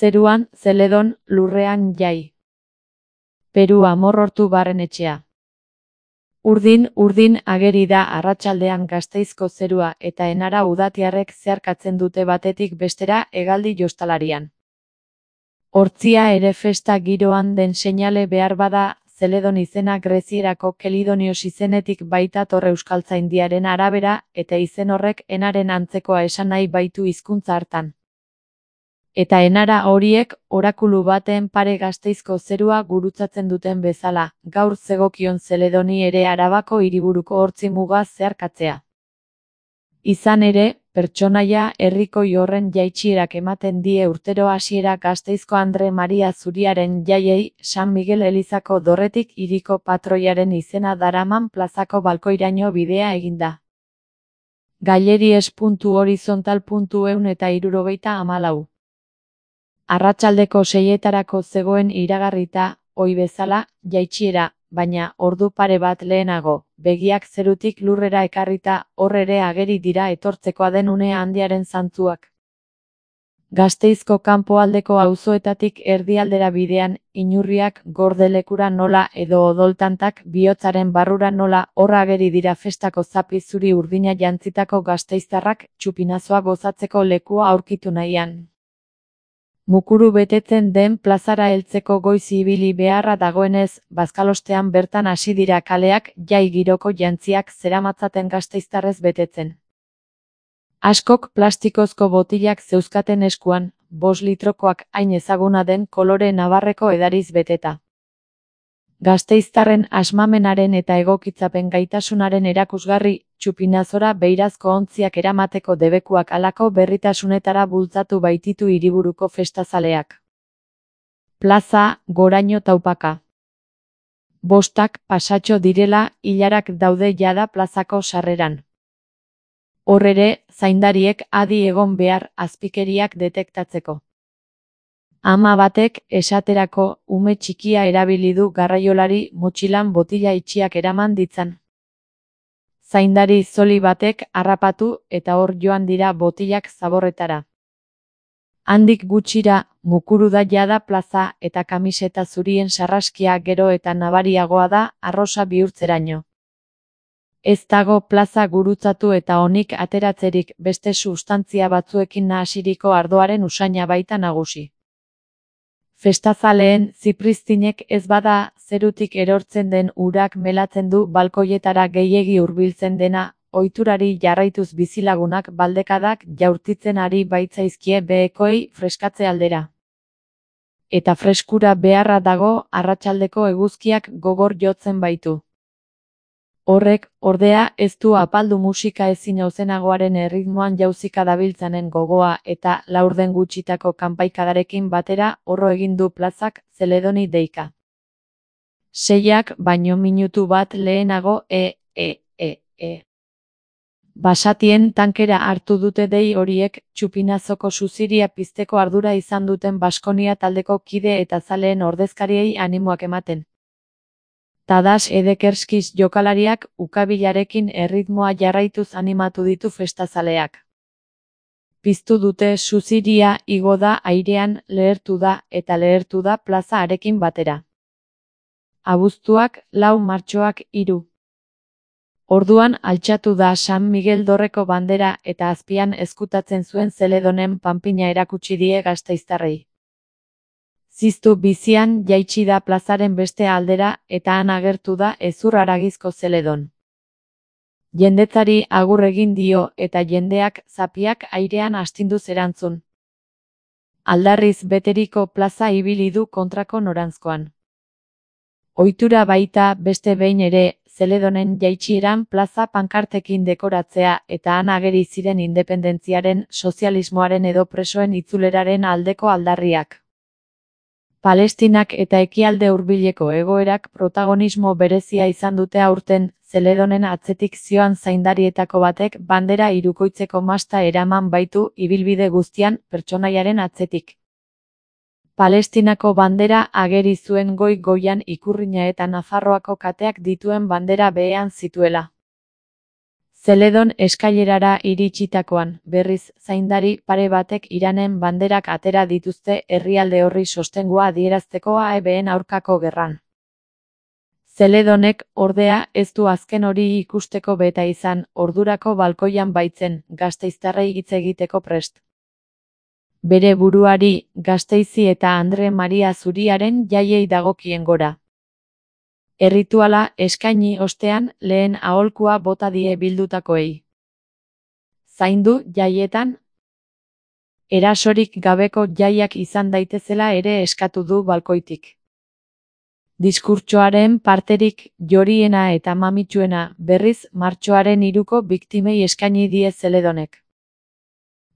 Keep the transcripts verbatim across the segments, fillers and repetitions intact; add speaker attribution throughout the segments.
Speaker 1: Zeruan, Zeledon, lurrean jai. Peru Amorortu Barrenetxea. Urdin, urdin ageri da arratsaldean Gasteizko zerua eta enara udatiarrek zeharkatzen dute batetik bestera hegaldi jostalarian. Hortzia ere festa giroan den seinale behar bada, Zeledon izena grezierako Kelidonios izenetik baitator euskaltzaindiaren arabera eta izen horrek enaren antzekoa esan nahi baitu hizkuntza hartan. Eta enara horiek, orakulu baten pare Gasteizko zerua gurutzatzen duten bezala, gaur zegokion Zeledoni ere Arabako hiriburuko hortzi muga zeharkatzea. Izan ere, pertsonaia herrikoi horren jaitsierak ematen die urtero hasiera Gasteizko Andre Maria Zuriaren jaiei, San Miguel elizako dorretik hiriko patroiaren izena daraman plazako balkoiraino bidea eginda. Galeries puntu horizontal puntu ehun eta hirurogeita hamalau. Arratsaldeko seietarako zegoen iragarrita, ohi bezala, jaitsiera, baina ordu pare bat lehenago, begiak zerutik lurrera ekarrita, hor ere ageri dira etortzekoa den une handiaren zantzuak. Gasteizko kanpoaldeko auzoetatik erdialdera bidean, inurriak gordelekura nola edo odoltantak bihotzaren barrura nola hor ageri dira festako zapi zuri urdina jantzitako gasteiztarrak txupinazoa gozatzeko lekua aurkitu nahian. Mukuru betetzen den plazara heltzeko goiz ibili beharra dagoenez, bazkalostean bertan hasi dira kaleak jai giroko jantziak zeramatzaten gasteiztarrez betetzen. Askok plastikozko botilak zeuzkaten eskuan, bost litrokoak hain ezaguna den kolore nabarreko edariz beteta. Gasteiztarren asmamenaren eta egokitzapen gaitasunaren erakusgarri, txupinazora beirazko ontziak eramateko debekuak halako berritasunetara bultzatu baititu hiriburuko festazaleak. Plaza, goraino taupaka. Bostak pasatxo direla, ilarak daude jada plazako sarreran. Hor ere, zaindariek adi egon behar azpikeriak detektatzeko. Ama batek, esaterako, ume txikia erabili du garraiolari motxilan botila itxiak eraman ditzan. Zaindari zoli batek harrapatu eta hor joan dira botilak zaborretara. Handik gutxira, mukuru da jada plaza eta kamiseta zurien sarraskia gero eta nabariagoa da arrosa bihurtzeraino. Ez dago plaza gurutzatu eta onik ateratzerik beste sustantzia batzuekin nahasiriko ardoaren usaina baita nagusi. Festazaleen zipriztinek ez bada, zerutik erortzen den urak melatzen du balkoietara gehiegi hurbiltzen dena, ohiturari jarraituz bizilagunak baldekadak jaurtitzen ari baitzaizkie behekoei freskatze aldera. Eta freskura beharra dago arratsaldeko eguzkiak gogor jotzen baitu. Horrek, ordea, ez du apaldu musika ezin auzenagoaren erritmoan jauzika dabiltzanen gogoa eta laurden gutxitako kanpaikadarekin batera horro egin du plazak Zeledoni deika. Seiak baino minutu bat lehenago e, e, e, e. Basatien tankera hartu dute dei horiek txupinazoko suziria pizteko ardura izan duten Baskonia taldeko kide eta zaleen ordezkariei animoak ematen. Tadas Edekerskiz jokalariak ukabilarekin erritmoa jarraituz animatu ditu festazaleak. Piztu dute suziria igo da airean lehertu da eta lehertu da plaza harekin batera. Abuztuak, lau martxoak, hiru. Orduan altxatu da San Miguel dorreko bandera eta azpian ezkutatzen zuen Zeledonen panpina erakutsi die gasteiztarrei. Ziztu bizian jaitsi da plazaren beste aldera eta han agertu da hezur haragizko Zeledon. Jendetzari agur egin dio eta jendeak zapiak airean astinduz erantzun. Aldarriz beteriko plaza ibili du kontrako noranzkoan. Ohitura baita beste behin ere, Zeledonen jaitsieran plaza pankartekin dekoratzea eta han ageri ziren independentziaren, sozialismoaren edo presoen itzuleraren aldeko aldarriak. Palestinak eta ekialde hurbileko egoerak protagonismo berezia izan dute aurten, Zeledonen atzetik zioan zaindarietako batek bandera hirukoitzeko masta eraman baitu ibilbide guztian pertsonaiaren atzetik. Palestinako bandera ageri zuen goi-goian ikurrina eta Nafarroako kateak dituen bandera behean zituela. Zeledon eskailerara iritsitakoan, berriz, zaindari pare batek Iranen banderak atera dituzte herrialde horri sostengua adierazteko A E B-en aurkako gerran. Zeledonek, ordea, ez du azken hori ikusteko beta izan, ordurako balkoian baitzen, gasteiztarrei hitz egiteko prest. Bere buruari, Gasteizi eta Andre Maria Zuriaren jaiei dagokien gora. Errituala eskaini ostean lehen aholkua bota die bildutakoei. Zaindu jaietan, erasorik gabeko jaiak izan daitezela ere eskatu du balkoitik. Diskurtsoaren parterik joriena eta mamitsuena berriz martxoaren hiruko biktimei eskaini die Zeledonek.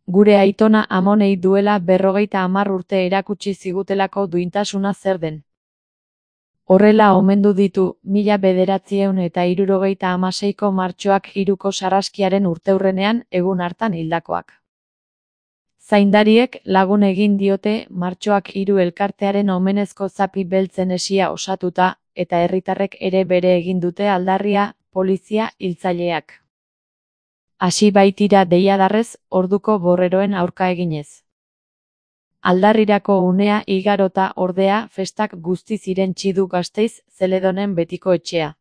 Speaker 1: Gure aitona amonei duela berrogeita hamar urte erakutsi zigutelako duintasuna zer den. Horrela omendu ditu, mila bederatziehun eta hirurogeita hamaseiko martxoak hiruko sarraskiaren urteurrenean egun hartan hildakoak. Zaindariek lagun egin diote martxoak hiru elkartearen omenezko zapi beltzen esia osatuta, eta herritarrek ere bere egin dute aldarria, polizia hiltzaileak. Hasi baitira deiadarrez, orduko borreroen aurka eginez. Aldarrirako unea igarota ordea festak guzti zirentsi du Gasteiz Zeledonen betiko etxea.